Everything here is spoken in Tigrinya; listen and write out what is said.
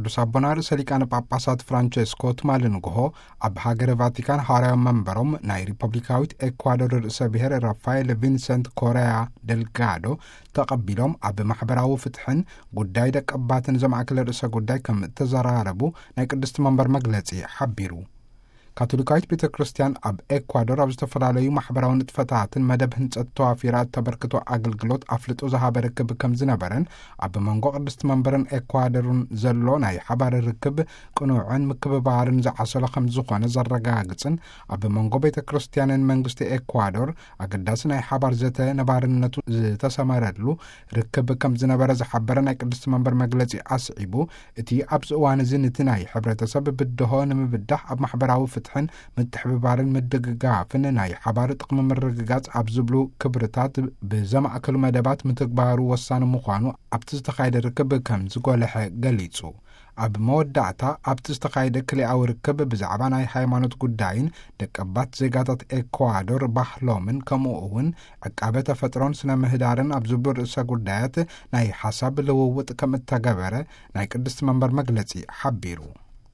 ቅዱስ ኣቦና ርእሰ ሊቃነ ጳጳሳት ፍራንቸስኮ ትማሊ ንግሆ ኣብ ሃገረ ቫቲካን ሐዋርያዊ መንበሮም ናይ ሪፐብሊካዊት ኤኳዶር ርእሰ ብሔር ራፋኤል ቪንሰንት ኮርያ ደልጋዶ ተቐቢሎም፣ ኣብ ማሕበራዊ ፍትሕን ጉዳይ ደቀባትን ዘማእከለ ርእሰ ጉዳይ ከም እተዘራረቡ ናይ ቅድስቲ መንበር መግለጺ ሓቢሩ። ካቶሊካዊት ቤተ ክርስቲያን ኣብ ኤኳዶር ኣብ ዝተፈላለዩ ማሕበራዊ ንጥፈታትን መደብ ህንጸት ተዋፊራ እተበርክቶ ኣገልግሎት ኣፍልጦ ዝሃበ ርክብ ከም ዝነበረን፣ ኣብ መንጎ ቅድስቲ መንበርን ኤኳዶርን ዘሎ ናይ ሓባር ርክብ ቅኑዕን ምክብባርን ዝዓሰሎ ከም ዝኾነ ዘረጋግጽን፣ ኣብ መንጎ ቤተ ክርስቲያንን መንግስቲ ኤኳዶር ኣገዳሲ ናይ ሓባር ዘተ ነባርነቱ ዝተሰመረሉ ርክብ ከም ዝነበረ ዝሓበረ ናይ ቅድስቲ መንበር መግለጺ ኣስዒቡ፣ እቲ ኣብዚ እዋን እዚ ንቲ ናይ ሕብረተሰብ ብድሆ ንምብዳህ ኣብ ማሕበራዊ ፍትሕን ምትሕብባርን ምድግጋፍን ናይ ሓባር ጥቕሚ ምርግጋጽ ኣብ ዝብሉ ክብርታት ብዘማእከሉ መደባት ምትግባሩ ወሳኒ ምዃኑ ኣብቲ ዝተኻየደ ርክብ ከም ዝጎልሐ ገሊጹ። ኣብ መወዳእታ ኣብቲ ዝተኻየደ ክልኣዊ ርክብ ብዛዕባ ናይ ሃይማኖት ጉዳይን ደቀባት ዜጋታት ኤኳዶር ባህሎምን ከምኡ እውን ዕቃበ ተፈጥሮን ስነ ምህዳርን ኣብ ዝብሉ ርእሰ ጉዳያት ናይ ሓሳብ ልውውጥ ከም እተገበረ ናይ ቅድስቲ መንበር መግለጺ ሓቢሩ።